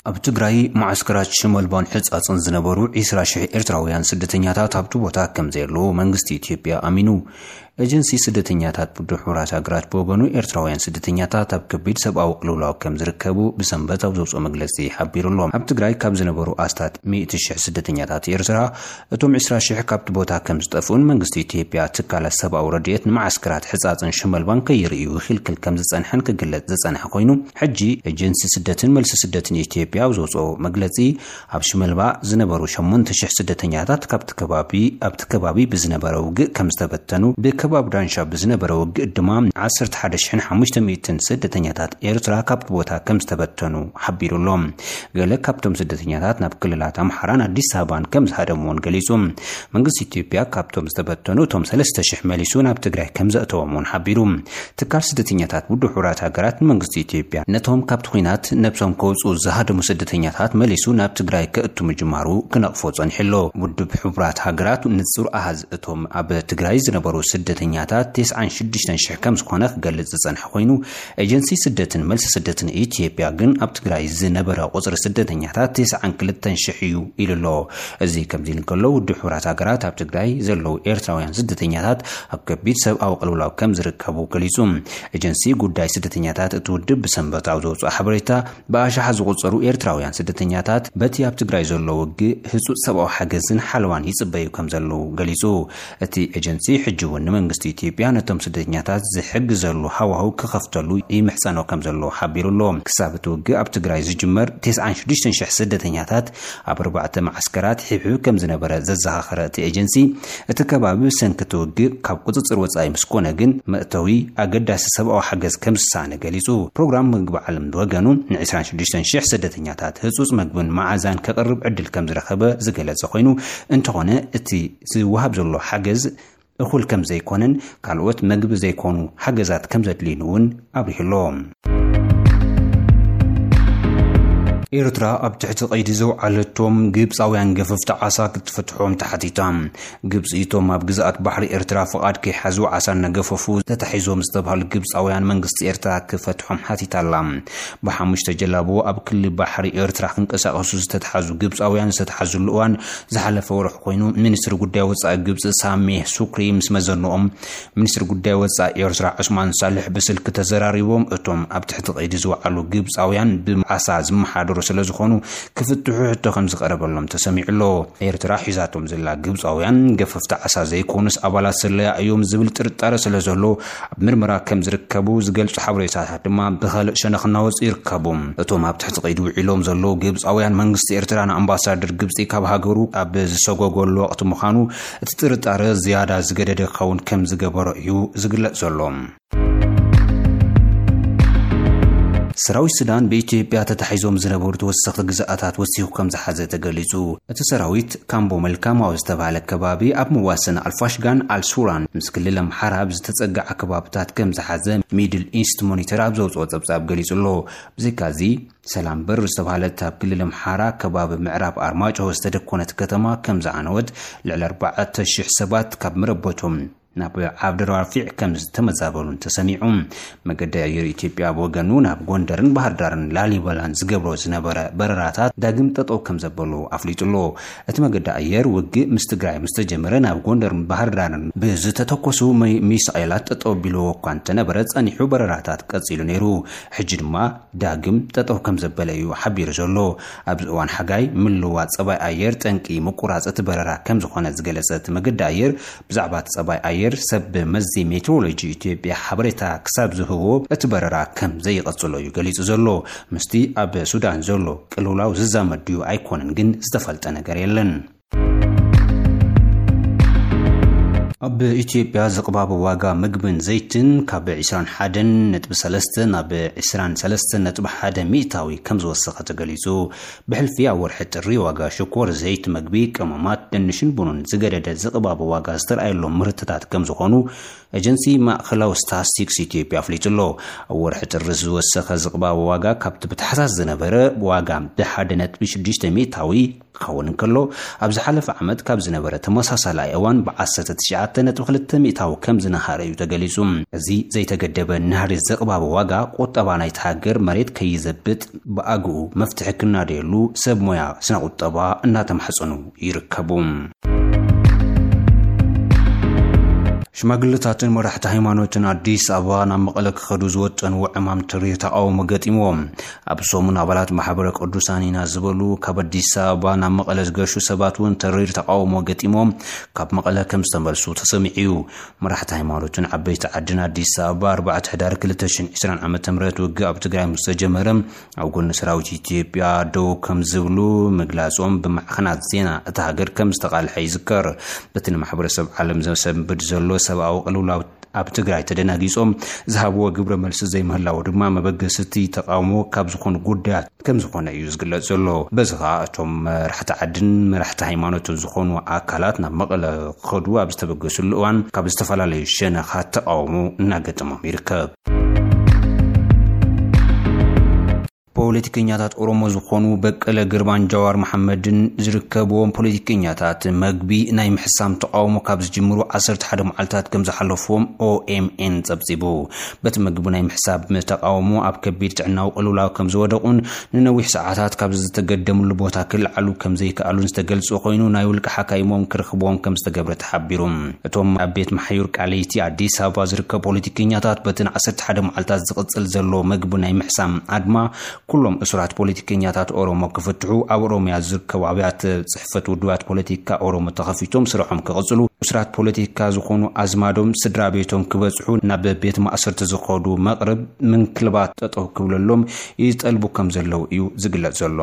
ኣብ ትግራይ ማዓስከራት ሽመልባን ሕጻጽን ዝነበሩ ዒስራ ሽሕ ኤርትራውያን ስደተኛታት ኣብቲ ቦታ ከም ዘየለዉ መንግስቲ ኢትዮጵያ ኣሚኑ። ኤጀንሲ ስደተኛታት ውድብ ሕቡራት ሃገራት ብወገኑ፣ ኤርትራውያን ስደተኛታት ኣብ ከቢድ ሰብኣዊ ቅልውላው ከም ዝርከቡ ብሰንበት ኣብ ዘውፅኦ መግለጺ ሓቢሩ ኣሎ። ኣብ ትግራይ ካብ ዝነበሩ ኣስታት ሚእቲ ሽሕ ስደተኛታት ኤርትራ፣ እቶም ዒስራ ሽሕ ካብቲ ቦታ ከም ዝጠፍኡን መንግስቲ ኢትዮጵያ ትካላት ሰብኣዊ ረድኤት ንማዓስከራት ሕጻጽን ሽመልባን ከይርእዩ ይኽልክል ከም ዝጸንሐን ክግለጽ ዝጸንሐ ኮይኑ፣ ሕጂ ኤጀንሲ ስደትን መልሲ ስደትን ኢትዮጵያ ኣብ ዘውፅኦ መግለጺ፣ ኣብ ሽመልባ ዝነበሩ ሸሞንተ ሽሕ ስደተኛታት ካብቲ ከባቢ፣ ኣብቲ ከባቢ ብዝነበረ ውግእ ከም ዝተበተኑ፣ ብከባቢ ዳንሻ ብዝነበረ ውግእ ድማ ዓሰርተ ሓደ ሽሕን ሓሙሽተ ሚእትን ስደተኛታት ኤርትራ ካብቲ ቦታ ከም ዝተበተኑ ሓቢሩ ኣሎ። ገለ ካብቶም ስደተኛታት ናብ ክልላት ኣምሓራን ኣዲስ ኣበባን ከም ዝሃደሙ እውን ገሊጹ። መንግስቲ ኢትዮጵያ ካብቶም ዝተበተኑ እቶም ሰለስተ ሽሕ መሊሱ ናብ ትግራይ ከም ዘእተዎም እውን ሓቢሩ። ትካል ስደተኛታት ውድብ ሕቡራት ሃገራት ንመንግስቲ ኢትዮጵያ ነቶም ካብቲ ኲናት ነብሶም ከውፅኡ ዝሃደሙ ስደተኛታት መሊሱ ናብ ትግራይ ከእቱ ምጅማሩ ክነቕፎ ጸኒሑ ኣሎ። ውድብ ሕቡራት ሃገራት ንጹር ኣሃዝ እቶም ኣብ ትግራይ ዝነበሩ ስደተኛታት ተስዓን ሽዱሽተን ሽሕ ከም ዝኾነ ክገልጽ ዝጸንሐ ኮይኑ፣ ኤጀንሲ ስደትን መልሲ ስደትን ኢትዮጵያ ግን ኣብ ትግራይ ዝነበረ ቁጽሪ ስደተኛታት ተስዓን ክልተን ሽሕ እዩ ኢሉ ኣሎ። እዚ ከምዚ ኢሉ እንከሎ፣ ውድብ ሕቡራት ሃገራት ኣብ ትግራይ ዘለዉ ኤርትራውያን ስደተኛታት ኣብ ከቢድ ሰብኣዊ ቅልውላው ከም ዝርከቡ ገሊጹ። ኤጀንሲ ጉዳይ ስደተኛታት እቲ ውድብ ብሰንበት ኣብ ዘውፅኦ ሓበሬታ፣ ብኣሽሓት ዝቑጸሩ ኤርትራውያን ስደተኛታት በቲ ኣብ ትግራይ ዘሎ ውግእ ህጹጽ ሰብኣዊ ሓገዝን ሓለዋን ይጽበዩ ከም ዘለዉ ገሊጹ። እቲ ኤጀንሲ ሕጂ እውን ንመንግስቲ ኢትዮጵያ ነቶም ስደተኛታት ዝሕግዘሉ ሃዋህው ክኸፍተሉ ይምሕጸኖ ከም ዘሎ ሓቢሩ ኣሎ። ክሳብ እቲ ውግእ ኣብ ትግራይ ዝጅመር፣ ተስዓን ሽዱሽተን ሽሕ ስደተኛታት ኣብ ኣርባዕተ መዓስከራት ሒብሒቡ ከም ዝነበረ ዘዘኻኸረ እቲ ኤጀንሲ፣ እቲ ከባቢ ብሰንኪ እቲ ውግእ ካብ ቁጽጽር ወጻኢ ምስ ኮነ ግን፣ መእተዊ ኣገዳሲ ሰብኣዊ ሓገዝ ከም ዝሳነ ገሊጹ። ፕሮግራም ምግቢ ዓለም ብወገኑ፣ ን ዒስራን ሽዱሽተን ሽሕ ስደተኛታት ህጹጽ መግብን መዓዛን ከቕርብ ዕድል ከም ዝረኸበ ዝገለጸ ኮይኑ፣ እንተኾነ እቲ ዝወሃብ ዘሎ ሓገዝ እኹል ከም ዘይኮነን፣ ካልኦት መግቢ ዘይኮኑ ሓገዛት ከም ዘድልዩን እውን ኣብሪሁ ኣሎ። ኤርትራ ኣብ ትሕቲ ቀይዲ ዘውዓለቶም ግብጻውያን ገፈፍቲ ዓሳ ክትፈትሖም ተሓቲታ። ግብጺ እቶም ኣብ ግዝኣት ባሕሪ ኤርትራ ፍቓድ ከይሓዙ ዓሳ እናገፈፉ ተታሒዞም ዝተባህሉ ግብጻውያን መንግስቲ ኤርትራ ክፈትሖም ሓቲታ ኣላ። ብሓሙሽተ ጀላቡ ኣብ ክሊ ባሕሪ ኤርትራ ክንቀሳቐሱ ዝተታሓዙ ግብጻውያን ዝተታሓዙሉ እዋን ዝሓለፈ ወርሒ ኮይኑ፣ ሚኒስትሪ ጉዳይ ወጻኢ ግብጺ ሳሜህ ሱክሪ ምስ መዘንኦም፣ ሚኒስትሪ ጉዳይ ወጻኢ ኤርትራ ዑስማን ሳልሕ ብስልኪ ተዘራሪቦም፣ እቶም ኣብ ትሕቲ ቀይዲ ዝወዓሉ ግብጻውያን ብዓሳ ዝመሓደሩ ስለ ዝኾኑ ክፍትሑ ሕቶ ከም ዝቐረበሎም ተሰሚዑ ኣሎ። ኤርትራ ሒዛቶም ዘላ ግብጻውያን ገፈፍቲ ዓሳ ዘይኮኑስ ኣባላት ስለያ እዮም ዝብል ጥርጣረ ስለ ዘሎ፣ ኣብ ምርመራ ከም ዝርከቡ ዝገልጹ ሓበሬታታት ድማ ብኻልእ ሸነኽ እናወጹ ይርከቡ። እቶም ኣብ ትሕቲ ቀይዲ ውዒሎም ዘለዉ ግብጻውያን፣ መንግስቲ ኤርትራ ንኣምባሳደር ግብጺ ካብ ሃገሩ ኣብ ዝሰጎገሉ ወቕቲ ምዃኑ፣ እቲ ጥርጣረ ዝያዳ ዝገደደ ክኸውን ከም ዝገበሮ እዩ ዝግለጽ ዘሎ። ሰራዊት ሱዳን ብኢትዮጵያ ተታሒዞም ዝነበሩ ተወሰኽቲ ግዝኣታት ወሲኹ ከም ዝሓዘ ተገሊጹ። እቲ ሰራዊት ካምቦ መልካም ኣብ ዝተባህለ ከባቢ ኣብ መዋሰኒ ኣልፋሽጋን ኣልሱራን ምስ ክልል ኣምሓራ ኣብ ዝተጸግዓ ከባብታት ከም ዝሓዘ ሚድል ኢስት ሞኒተር ኣብ ዘውጽኦ ጸብጻብ ገሊጹ ኣሎ። ብዘይካዚ፣ ሰላም በር ዝተባህለት ኣብ ክልል ኣምሓራ ከባቢ ምዕራብ ኣርማጭሆ ዝተደኮነት ከተማ ከም ዝዓነወት፣ ልዕሊ ኣርባዕተ ሽሕ ሰባት ካብ መረበቶም ናብ ዓብደራፊዕ ከም ዝተመዛበሉን ተሰሚዑ። መገዲ ኣየር ኢትዮጵያ ብወገኑ ናብ ጎንደርን ባህር ዳርን ላሊበላን ዝገብሮ ዝነበረ በረራታት ዳግም ጠጠው ከም ዘበሉ ኣፍሊጡ ኣሎ። እቲ መገዲ ኣየር ውግእ ምስ ትግራይ ምስ ተጀመረ ናብ ጎንደርን ባህር ዳርን ብዝተተኮሱ ሚ-፣ ሚሳኤላት ጠጠው ቢልዎ እኳ እንተነበረ፣ ጸኒሑ በረራታት ቀጺሉ ነይሩ። ሕጂ ድማ ዳግም ጠጠው ከም ዘበለ እዩ ሓቢሩ ዘሎ። ኣብዚ እዋን ሓጋይ ምልዋጥ ጸባይ ኣየር ጠንቂ ምቁራጽ እቲ በረራ ከም ዝኾነ ዝገለጸ እቲ መገዲ ኣየር፣ ብዛዕባ እቲ ጸባይ ኣየር ሰብ መዚ ሜትሮሎጂ ኢትዮጵያ ሓበሬታ ክሳብ ዝህቦ እቲ በረራ ከም ዘይቐጽሎ እዩ ገሊጹ ዘሎ። ምስቲ ኣብ ሱዳን ዘሎ ቅልውላው ዝዛመድ ድዩ ኣይኮነን ግን ዝተፈልጠ ነገር የለን። ኣብ ኢትዮጵያ ዝቕባብ ዋጋ ምግብን ዘይትን ካብ ዕስራን ሓደን ነጥቢ ሰለስተ ናብ ዕስራን ሰለስተን ነጥቢ ሓደ ሚእታዊ ከም ዝወሰኸ ተገሊጹ። ብሕልፊ ኣብ ወርሒ ጥሪ ዋጋ ሽኮር፣ ዘይት፣ መግቢ፣ ቀመማት፣ ድንሽን ቡንን ዝገደደ ዝቕባብ ዋጋ ዝተረኣየሎም ምህርትታት ከም ዝኾኑ ኤጀንሲ ማእኸላዊ ስታስቲክስ ኢትዮጵያ ኣፍሊጡ ኣሎ። ኣብ ወርሒ ጥሪ ዝወሰኸ ዝቕባበ ዋጋ ካብቲ ብታሕሳስ ዝነበረ ዋጋ ብሓደ ነጥቢ ሽዱሽተ ሚእታዊ ክኸውን እንከሎ፣ ኣብ ዝሓለፈ ዓመት ካብ ዝነበረ ተመሳሳላይ እዋን ብ ዓሰርተ ትሽዓተ ነጥቢ ክልተ ሚእታዊ ከም ዝነሃረ እዩ ተገሊጹ። እዚ ዘይተገደበ ናህሪ ዝቕባበ ዋጋ ቁጠባ ናይቲ ሃገር መሬት ከይዘብጥ ብኣግኡ መፍትሒ ክናደየሉ ሰብ ሞያ ስነ ቁጠባ እናተማሕጸኑ ይርከቡ። ሽማግለታትን መራሕቲ ሃይማኖትን ኣዲስ ኣበባ ናብ መቐለ ክኸዱ ዝወጠንዎ ዕማም ተሪር ተቃውሞ ገጢምዎም። ኣብ ሰሙን ኣባላት ማሕበረ ቅዱሳን ኢና ዝበሉ ካብ ኣዲስ ኣበባ ናብ መቐለ ዝገሹ ሰባት እውን ተሪር ተቃውሞ ገጢሞም ካብ መቐለ ከም ዝተመልሱ ተሰሚዑ እዩ። መራሕቲ ሃይማኖትን ዓበይቲ ዓድን ኣዲስ ኣበባ ኣርባዕተ ሕዳር ክልተ ሽሕን ዕስራን ዓመተ ምህረት ውግእ ኣብ ትግራይ ምስ ተጀመረ ኣብ ጎኒ ሰራዊት ኢትዮጵያ ደው ከም ዝብሉ ምግላጾም ብማዕኸናት ዜና እታ ሃገር ከም ዝተቓልሐ ይዝከር። በቲ ንማሕበረሰብ ዓለም ዘሰንብድ ዘሎ ሰብኣዊ ቅልውላው ኣብ ትግራይ ተደናጊጾም ዝሃብዎ ግብረ መልሲ ዘይምህላው ድማ መበገስቲ ተቃውሞ ካብ ዝኾኑ ጉዳያት ከም ዝኾነ እዩ ዝግለጽ ዘሎ። በዚ ኸኣ እቶም መራሕቲ ዓድን መራሕቲ ሃይማኖትን ዝኾኑ ኣካላት ናብ መቐለ ክኸዱ ኣብ ዝተበገስሉ እዋን ካብ ዝተፈላለዩ ሸነኻት ተቃውሞ እናገጠሞም ይርከብ። ፖለቲከኛታት ኦሮሞ ዝኾኑ በቀለ ገርባን ጃዋር መሓመድን ዝርከብዎም ፖለቲከኛታት መግቢ ናይ ምሕሳም ተቃውሞ ካብ ዝጅምሩ ዓሰርተ ሓደ መዓልታት ከም ዝሓለፍዎም ኦኤምኤን ጸብጺቡ። በቲ መግቢ ናይ ምሕሳብ ተቃውሞ ኣብ ከቢድ ጥዕናዊ ቅልውላው ከም ዝወደቑን ንነዊሕ ሰዓታት ካብ ዝተገደምሉ ቦታ ክለዓሉ ከም ዘይከኣሉን ዝተገልጹ ኮይኑ፣ ናይ ውልቂ ሓካይሞም ክረኽብዎም ከም ዝተገብረ ተሓቢሩ። እቶም ኣብ ቤት መሓዩር ቃሊቲ ኣዲስ ኣበባ ዝርከቡ ፖለቲከኛታት በቲ ን ዓሰርተ ሓደ መዓልታት ዝቕጽል ዘሎ መግቢ ናይ ምሕሳም ኣድማ ኩሎም እሱራት ፖለቲከኛታት ኦሮሞ ክፍትሑ፣ ኣብ ኦሮሚያ ዝርከቡ ኣብያተ ጽሕፈት ውድባት ፖለቲካ ኦሮሞ ተኸፊቶም ስርሖም ክቕጽሉ፣ እሱራት ፖለቲካ ዝኾኑ ኣዝማዶም፣ ስድራ ቤቶም ክበጽሑ ናብ ቤት ማእሰርቲ ዝኸዱ መቕርብ ምንክልባት ጠጠው ክብለሎም ይጠልቡ ከም ዘለዉ እዩ ዝግለጽ ዘሎ።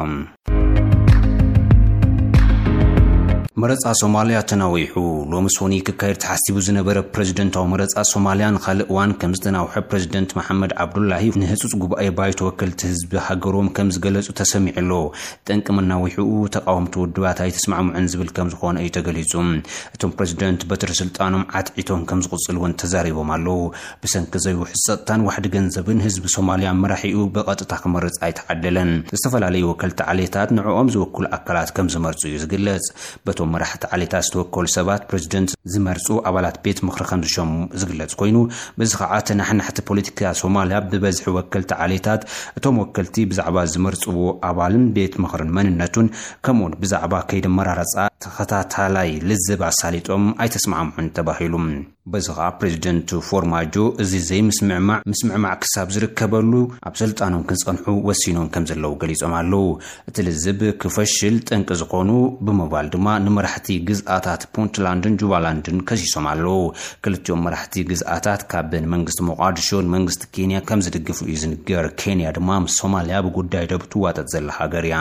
መረጻ ሶማልያ ተናዊሑ። ሎሚ ሶኒ ክካየድ ተሓሲቡ ዝነበረ ፕሬዝደንታዊ መረጻ ሶማልያ ንኻልእ እዋን ከም ዝተናውሐ ፕሬዝደንት መሓመድ ዓብዱላሂ ንህጹጽ ጉባኤ ባይቶ ወከልቲ ህዝቢ ሃገሮም ከም ዝገለጹ ተሰሚዑ ኣሎ። ጠንቂ መናዊሕኡ ተቃወምቲ ውድባት ኣይተስማዕምዑን ዝብል ከም ዝኾነ እዩ ተገሊጹ። እቶም ፕሬዝደንት በትሪ ስልጣኖም ዓትዒቶም ከም ዝቕጽሉ እውን ተዛሪቦም ኣለዉ። ብሰንኪ ዘይውሕስ ጸጥታን ዋሕዲ ገንዘብን ህዝቢ ሶማልያ መራሒኡ ብቐጥታ ክመርጽ ኣይተዓደለን። ዝተፈላለዩ ወከልቲ ዓሌታት ንዕኦም ዝውክሉ ኣካላት ከም ዝመርጹ እዩ ዝግለጽ። በቶም መራሕቲ ዓሌታት ዝተወከሉ ሰባት ፕሬዝደንት ዝመርጹ ኣባላት ቤት ምኽሪ ከም ዝሸሙ ዝግለጽ ኮይኑ፣ በዚ ኸዓ ተናሕናሕቲ ፖለቲካ ሶማልያ ብበዝሒ ወከልቲ ዓሌታት፣ እቶም ወከልቲ ብዛዕባ ዝመርጽዎ ኣባልን ቤት ምኽርን መንነቱን ከምኡውን ብዛዕባ ከይዲ ኣመራርጻ ተኸታታላይ ልዝብ ኣሳሊጦም ኣይተስማዕምዑን ተባሂሉ። በዚ ኸኣ ፕሬዝደንት ፎርማጆ እዚ ዘይምስምዕማዕ ምስምዕማዕ ክሳብ ዝርከበሉ ኣብ ስልጣኖም ክጸንሑ ወሲኖም ከም ዘለዉ ገሊጾም ኣለዉ። እቲ ልዝብ ክፈሽል ጠንቂ ዝኾኑ ብምባል ድማ ንመራሕቲ ግዝኣታት ፑንትላንድን ጁባላንድን ከሲሶም ኣለዉ። ክልቲኦም መራሕቲ ግዝኣታት ካብ ንመንግስቲ ሞቃዲሾ ንመንግስቲ ኬንያ ከም ዝድግፉ እዩ ዝንገር። ኬንያ ድማ ምስ ሶማልያ ብጉዳይ ደብ ትዋጠጥ ዘላ ሃገር እያ።